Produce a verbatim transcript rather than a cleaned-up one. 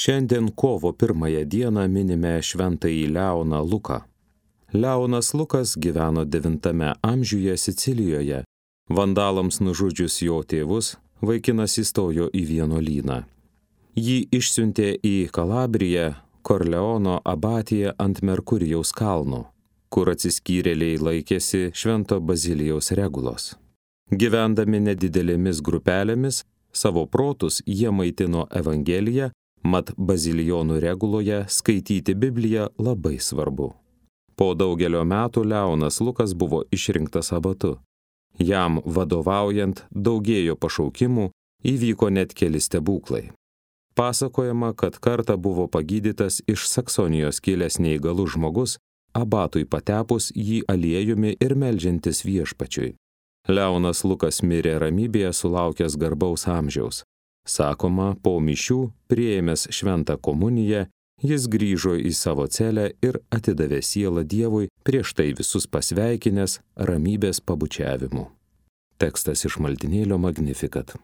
Šiandien kovo pirmąją dieną minime šventąjį Leoną Luką. Leonas Lukas gyveno devintame amžiuje Sicilijoje. Vandalams nužudžius jo tėvus, vaikinas įstojo į vienuolyną. Jį išsiuntė į Kalabriją, Korleono abatiją ant Merkurijaus kalno, kur atsiskyrėliai laikėsi švento Bazilijaus regulos. Gyvendami nedidelėmis grupelėmis, savo protus jie maitino Evangeliją, mat Bazilijonų reguloje skaityti Bibliją labai svarbu. Po daugelio metų Leonas Lukas buvo išrinktas abatu. Jam vadovaujant daugėjo pašaukimų, įvyko net keli stebuklai. Pasakojama, kad kartą buvo pagydytas iš Saksonijos kilęs neįgalus žmogus, abatui patepus jį aliejumi ir meldžiantis viešpačiui. Leonas Lukas mirė ramybėje sulaukęs garbaus amžiaus. Sakoma, po mišių, priėmęs šventą komuniją, jis grįžo į savo celę ir atidavė sielą Dievui, prieš tai visus pasveikinęs ramybės pabučiavimu. Tekstas iš maldynėlio Magnificat.